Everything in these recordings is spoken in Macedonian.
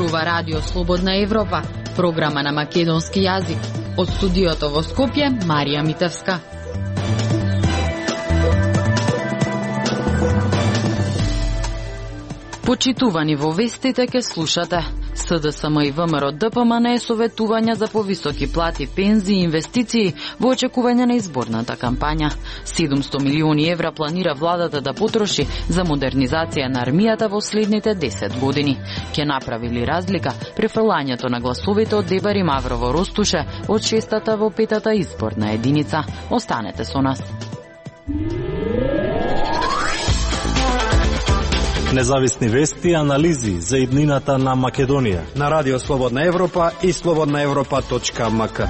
Зборува Радио Слободна Европа, програма на македонски јазик. Од студиото во Скопје, Марија Митевска. Почитувани во вестите ке слушате. СДСМ и ВМРО ДПМН советувања за повисоки плати, пензии и инвестиции во очекување на изборната кампања. 700 милиони евра планира владата да потроши за модернизација на армијата во следните 10 години. Ке направи ли разлика префрлањето на гласовите од Дебар и Маврово Ростуше од 6-та во 5-та изборна единица? Останете со нас. Независни вести и анализи за иднината на Македонија на Радио Слободна Европа и slobodnaevropa.mk.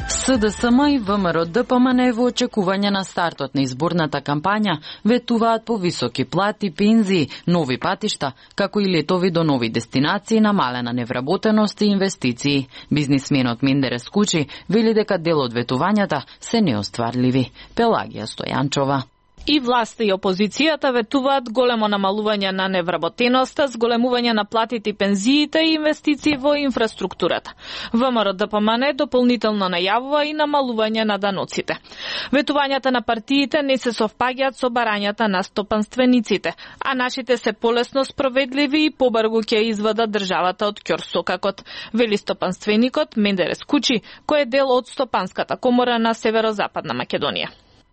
СДСМ и ВМРО ДПМН во очекување на стартот на изборната кампања ветуваат по високи плати, пензии, нови патишта, како и летови до нови дестинации, намалена невработеност и инвестиции. Бизнисменот Мендерес Кучи вели дека дел од ветувањата се неостварливи. Пелагија Стојанчова. И власта и опозицијата ветуваат големо намалување на невработеноста, зголемување на платите и пензиите и инвестиции во инфраструктурата. ВМРО ДПМН дополнително најавува и намалување на даноците. Ветувањата на партиите не се совпаѓаат со барањата на стопанствениците, а нашите се полесно спроведливи и побрзо ќе извадат државата од ќорсокакот, вели стопанственикот Мендерес Кучи, кој е дел од Стопанската комора на Северозападна Македонија.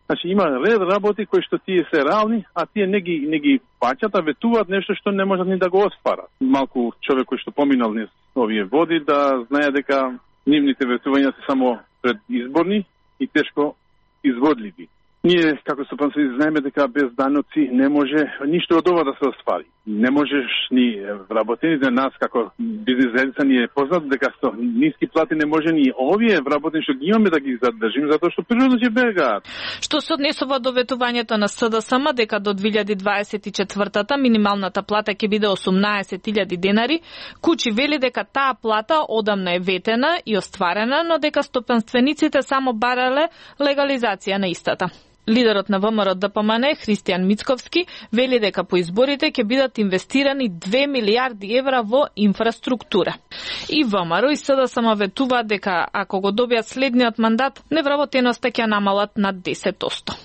Значи има ред работи кои што тие се реални, а тие не ги паќат, а ветуваат нешто што не можат ни да го остварат. Малку човек кој што поминал низ овие води да знае дека нивните ветувања се само предизборни и тешко изводливи. Ние, како стопанци, знаеме дека без даноци не може ништо од ова да се оствари. Не можеш ни вработените нас, како бизнес заедница, ни е познато дека со ниски плати не може ни овие вработени што ги имаме да ги задржим, затоа што природно ќе бегаат. Што се однесува до ветувањето на СДСМ дека до 2024-та минималната плата ќе биде 18.000 денари, Кучи вели дека таа плата одамна е ветена и остварена, но дека стопанствениците само барале легализација на истата. Лидерот на ВМРО ДПМН, Христијан Мицковски, вели дека по изборите ќе бидат инвестирани 2 милиарди евра во инфраструктура. И ВМРО и СДСМ ветуваат дека ако го добијат следниот мандат, невработеноста ќе намалат над 10%.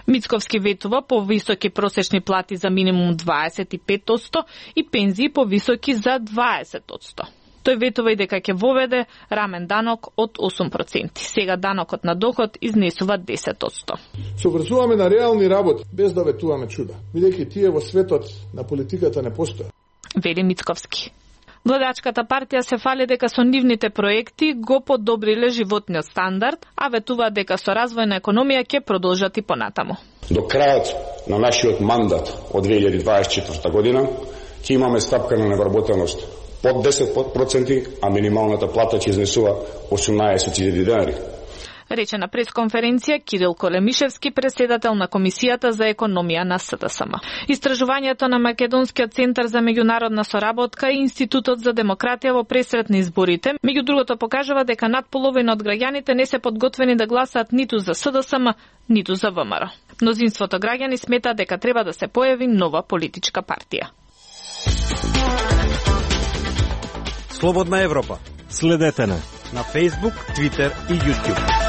Мицковски ветува по високи просечни плати за минимум 25% и пензии по високи за 20%. Тој ветува и дека ќе воведе рамен данок од 8%. Сега данокот на доход изнесува 10%. Се врзуваме на реални работи, без да ветуваме чуда, бидејќи тие во светот на политиката не постојат. Вели Мицковски. Владачката партија се фали дека со нивните проекти го подобриле животниот стандард, а ветува дека со развој на економија ќе продолжат и понатаму. До крајот на нашиот мандат од 2024 година ќе имаме стапка на невработеност под 10%, а минималната плата ќе изнесува 18.000 денари. Рече на пресконференција Кирил Колемишевски, председател на Комисијата за економија на СДСМ. Истражувањето на Македонскиот центар за меѓународна соработка и Институтот за демократија во пресрет на изборите, меѓу другото покажува дека над половина од граѓаните не се подготвени да гласаат ниту за СДСМ, ниту за ВМРО. Мнозинството граѓани сметаат дека треба да се појави нова политичка партија. Слободна Европа. Следете на Facebook, Twitter и YouTube.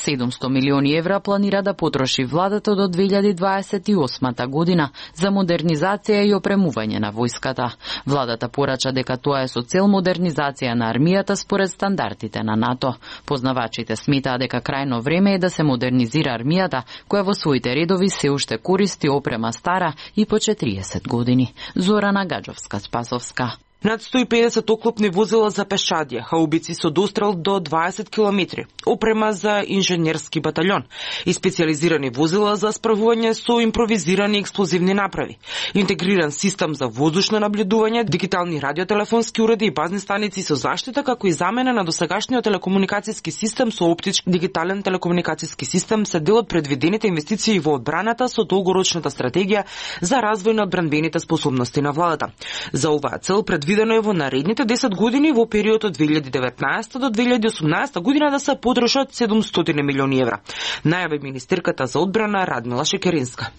700 милиони евра планира да потроши владата до 2028 година за модернизација и опремување на војската. Владата порача дека тоа е со цел модернизација на армијата според стандардите на НАТО. Познавачите сметаат дека крајно време е да се модернизира армијата, која во своите редови се уште користи опрема стара и по 40 години. Зорана Гаджовска-Спасовска. Над 150 оклопни возила за пешадија, хаубици со дострел до 20 км, опрема за инженерски батальон и специализирани возила за справување со импровизирани експлозивни направи, интегриран систем за воздушно наблюдување, дигитални радиотелефонски уреди и базни станици со заштита, како и замена на досегашниот телекомуникацијски систем со оптички дигитален телекомуникацијски систем се дел од предвидените инвестиции во одбраната со долгорочната стратегија за развој на одбранбените способности на владата. За оваа цел предвидено предвидено е во наредните 10 години во период од 2019 до 2018 година да се потрошат 700 милиони евра. Најави министерката за одбрана Радмила Шекеринска.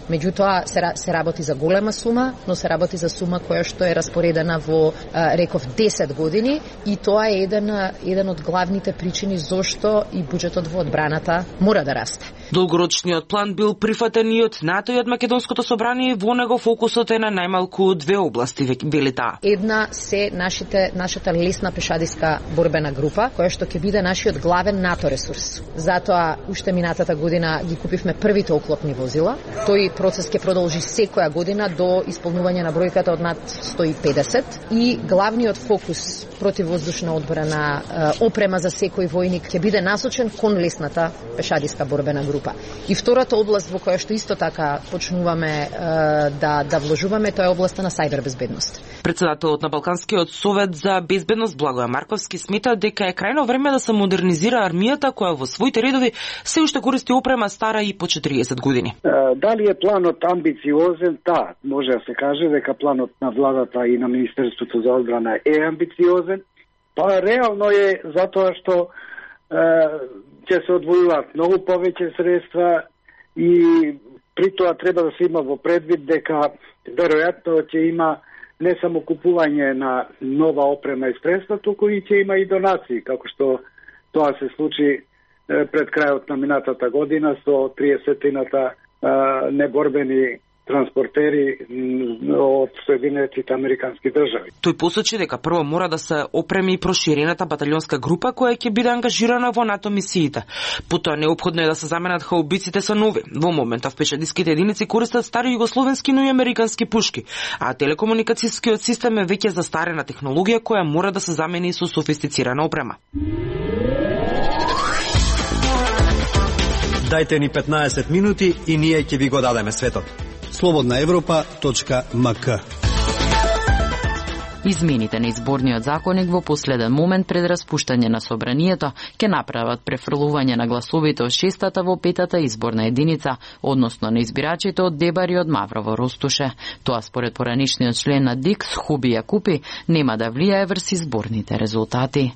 Меѓутоа се работи за голема сума, но се работи за сума која што е распоредена во реков 10 години и тоа е еден од главните причини зошто и буџетот во одбраната мора да расте. Долгорочниот план бил прифатен и од НАТО и од Македонското собрание, во него фокусот е на најмалку две области, вели таа. Една се нашата лесна пешадиска борбена група, која што ќе биде нашиот главен НАТО ресурс. Затоа уште минатата година ги купивме првите оклопни возила. Тој процес ќе продолжи секоја година до исполнување на бројката од над 150 и главниот фокус противвоздушна одбрана, опрема за секој војник ќе биде насочен кон лесната пешадиска борбена група. И втората област во која што исто така почнуваме да вложуваме, тоа е областа на сајбербезбедност. Председателот на Балканскиот совет за безбедност Благоја Марковски смета дека е крајно време да се модернизира армијата која во своите редови се уште користи опрема стара и по 40 години. Дали е планот амбициозен? Да, може да се каже дека планот на владата и на Министерството за одбрана е амбициозен. Па реално е затоа што ќе се одвојуваат многу повеќе средства и при тоа треба да се има во предвид дека веројатно ќе има не само купување на нова опрема и средства, туку и ќе има и донации, како што тоа се случи пред крајот на минатата година со 30-тината неборбени транспортери од Соединетите Американски држави. Тој посочи дека прво мора да се опреми проширената баталионска група која ќе биде ангажирана во НАТО мисиите. Потоа неопходно е да се заменат хаубиците со нови. Во моментов пешадиските единици користат стари југословенски, но и американски пушки, а телекомуникацијскиот систем е веќе застарена технологија која мора да се замени со софистицирана опрема. Дајте ни 15 минути и ние ќе ви го дадеме светот. slobodnaevropa.mk. Измените на изборниот законник во последен момент пред распуштање на собранието ќе направат префрлување на гласовите од 6-та во 5-та изборна единица, односно на избирачите од Дебар и од Маврово Ростуше. Тоа според поранишниот член на ДИКС Хуби Јакупи нема да влијае врз изборните резултати.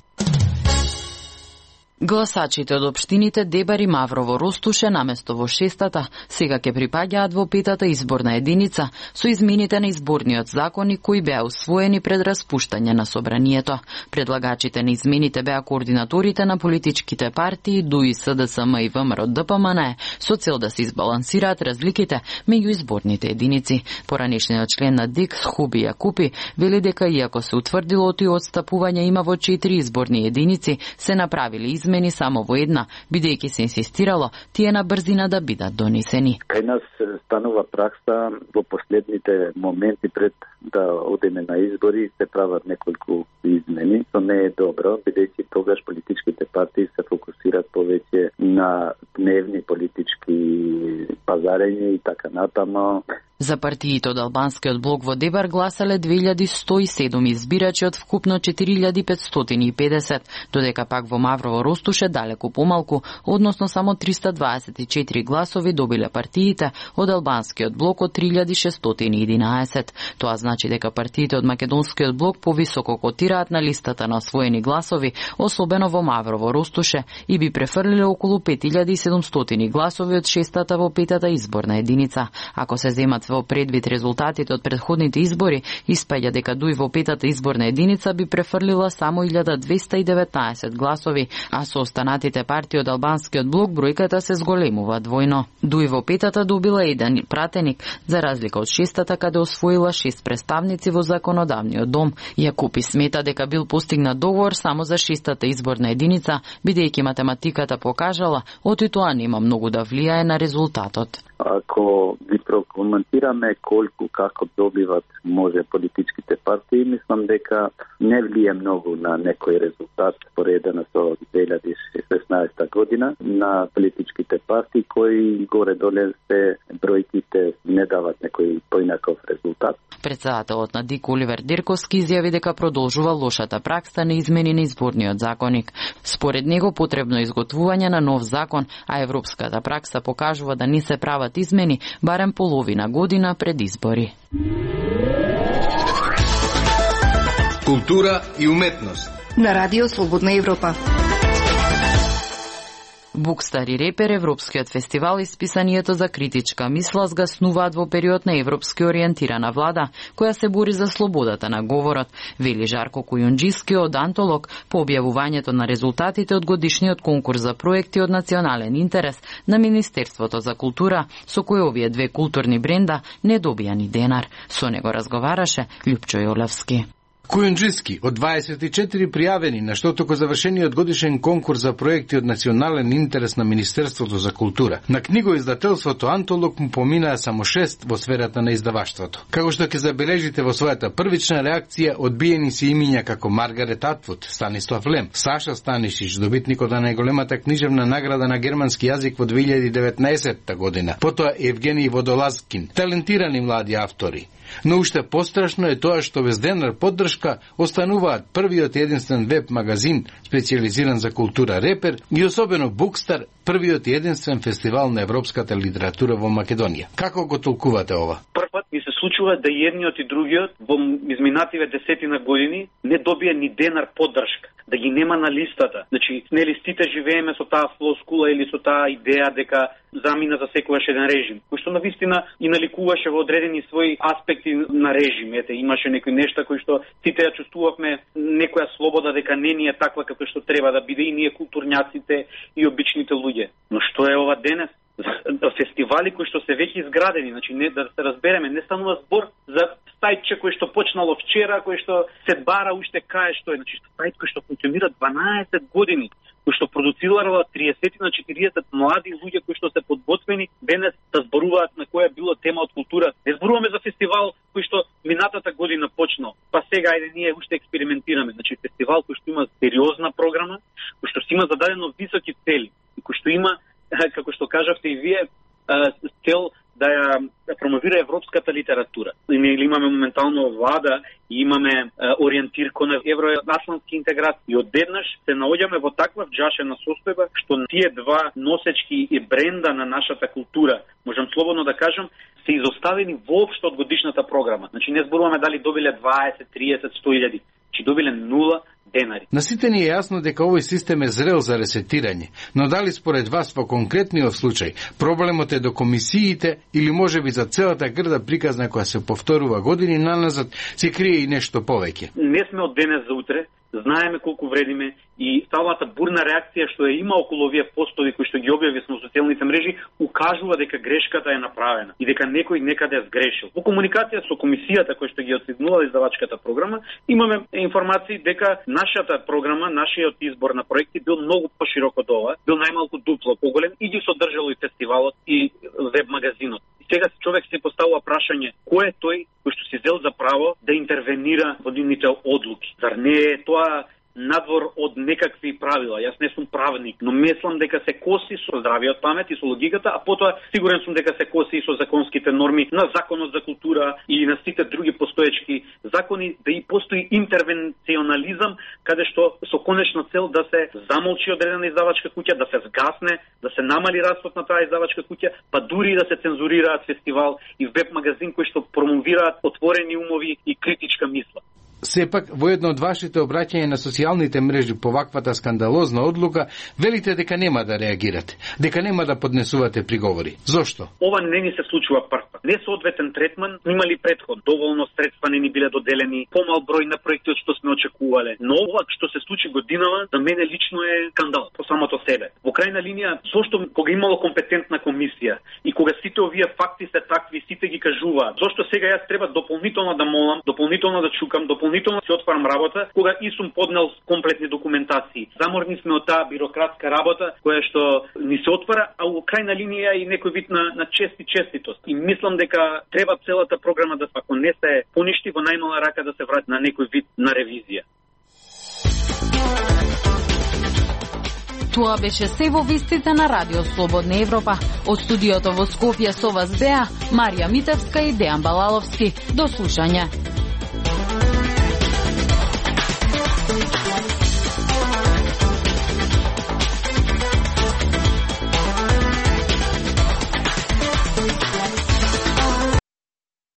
Гласачите од општините Дебар и Маврово Ростуше наместо во 6-та сега ќе припаѓаат во 5-та изборна единица со измените на изборниот законник кои беа усвоени пред распуштање на собранието. Предлагачите на измените беа координаторите на политичките партии ДУИ, СДСМ и ВМРО ДПМН со цел да се избалансираат разликите меѓу изборните единици. Поранешниот член на ДИКС Хуби Јакупи вели дека иако се утврдило тој отстапување има во 4 изборни единици, се направили измени само во една, бидејќи се инсистирало тие на брзина да бидат донесени. Кај нас станува пракса во последните моменти пред да одеме на избори се прават неколку измени, што не е добро, бидејќи тогаш политичките партии се фокусираат повеќе на дневни политички пазарења и така натаму. За партиите од албанскиот блок во Дебар гласале 2107 избирачи од вкупно 4550, додека пак во Маврово Ростуше далеку помалку, односно само 324 гласови добиле партиите од албанскиот блок од 3611. Тоа значи дека партиите од македонскиот блок повисоко котираат на листата на освоени гласови, особено во Маврово Ростуше, и би префрлиле околу 5700 гласови од 6-та во 5-та изборна единица. Ако се земат во предвид резултатите од претходните избори, испаѓа дека ДУИ во 5-та изборна единица би префрлила само 1219 гласови, а со останатите партии од албанскиот блок бројката се зголемува двојно. ДУИ во 5-та добила еден пратеник, за разлика од 6-та каде освоила 6 представници во законодавниот дом. Јакупи смета дека бил постигнат договор само за 6-та изборна единица, бидејќи математиката покажала, оти тоа нема многу да влијае на резултатот. Ако ги прокоментираме колку како добиват може политичките партии, мислам дека не влие многу на некој резултат споредено со 2016 година на политичките партии кои горе-доле се бројките не дават некој поинаков резултат. Председателот на ДИК Оливер Дерковски изјави дека продолжува лошата пракса на измени на изборниот законник. Според него потребно изготвување на нов закон, а европската пракса покажува да не се прават измени барем половина година пред избори. култура и уметност. На Радио Слободна Европа. Букстар и репер, Европскиот фестивал и списанието за критичка мисла згаснуваат во период на европски ориентирана влада, која се бори за слободата на говорот, вели Жарко Кујунџиски од Антолог по објавувањето на резултатите од годишниот конкурс за проекти од национален интерес на Министерството за култура, со кој овие две културни бренда не добија ни денар. Со него разговараше Лјупчо Јолевски. Кујунџиски од 24 пријавени на штотоко завршениот годишен конкурс за проекти од национален интерес на Министерството за култура. На книгоиздателството Антолог му поминаа само 6 во сферата на издаваштвото. Како што ќе забележите во својата првична реакција, одбиени се имиња како Маргарет Атвуд, Станислав Лем, Саша Станишич, добитникот на најголемата книжевна награда на германски јазик во 2019 година, потоа Евгений Водолазкин, талентирани млади автори. Но уште пострашно е тоа што без денар поддршка остануваат првиот единствен веб магазин специализиран за култура Репер и особено Букстар, првиот единствен фестивал на европската литература во Македонија. Како го толкувате ова? Првпат ми се случува да едниот и другиот во изминативе 10 години не добија ни денар поддршка, да ги нема на листата. Значи, нели сите живееме со таа флоскула или со таа идеја дека замина за секојаш еден режим, кој што навистина и наликуваше во одредени своји аспекти на режим. Ете, имаше некои нешта кои што сите ја чувствувавме, некоја слобода дека не ни е таква како што треба да биде и ние културњаците и обичните луѓе. Но што е ова денес? Фестивали кои што се веќе изградени, значи не да се разбереме, не станува збор за стајче кој што почнало вчера, кој што се бара уште кај што е, значи стајче кој што функционира 12 години, кој што продуцирала 30 на 40 млади луѓе кои што се подготвени денес да зборуваат на која било тема од култура. Не зборуваме за фестивал кој што минатата година почнал, па сега ајде ние уште експериментираме. Значи фестивал кој што има сериозна програма, кој што си има зададено високи цели, и кој што има, како што кажавте и вие, цел да ја промовира европската литература. Ние имаме моментално влада и имаме ориентир кон евроатлантски интеграции. И одеднаш се наоѓаме во таква вџашена состојба што тие два носечки и бренда на нашата култура, можам слободно да кажам, се изоставени воопшто од годишната програма. Значи не зборуваме дали добиле 20, 30, 100.000, че добиле 0 денари. На сите ни е јасно дека овој систем е зрел за ресетирање, но дали според вас во конкретниот случај проблемот е до комисиите или можеби за целата грда приказна која се повторува години наназад се крие и нешто повеќе? Не сме од денес за утре, знаеме колку вредиме и самата бурна реакција што е има околу овие постови кои што ги објави на социјалните мрежи укажува дека грешката е направена и дека некој некаде е сгрешил. Во комуникација со комисијата која што ги оценила издавачката програма, имаме информации дека нашата програма, нашиот избор на проекти бил многу поширок од ова, бил најмалку дупло поголем и ги содржало и фестивалот и веб магазинот. И сега човек се поставува прашање кој е тој кој што си зел за право да интервенира во нивните одлуки. Зар не е тоа надвор од некакви правила? Јас не сум правник, но мислам дека се коси со здравиот памет и со логиката, а потоа сигурен сум дека се коси и со законските норми на Законот за култура и на сите други постоечки закони, да и постои интервенционализам, каде што со конечна цел да се замолчи одредена издавачка куќа, да се згасне, да се намали растот на таа издавачка куќа, па дури да се цензурираат фестивал и веб магазин кои што промовираат отворени умови и критичка мисла. Сепак, во едно од вашите обраќања на социјалните мрежи по ваквата скандалозна одлука, велите дека нема да реагирате, дека нема да поднесувате приговори. Зошто? Ова не ни се случува првпат. Несоодветен третман имали претход. Доволно средства не ни биле доделени, помал број на проекти од што сме очекувале. Но ова што се случи годинава, за мене лично е скандал по самото себе. Во крајна линија, зошто кога имало компетентна комисија и кога сите овие факти се такви, сите ги кажуваат, зошто сега јас треба дополнително да молам, дополнително да чукам, дополнително се отварам работа, кога и сум поднел комплетни документации. Заморни сме од таа бирократска работа која што ни се отвара, а во крајна линија и некој вид на чест и честитост. И мислам дека треба целата програма да, ако не се поништи, во најмала рака да се врати на некој вид на ревизија. Тоа беше се во вестите на Радио Слободна Европа. Од студиото во Скопје со вас беа Марија Митевска и Дејан Балаловски. До слушање.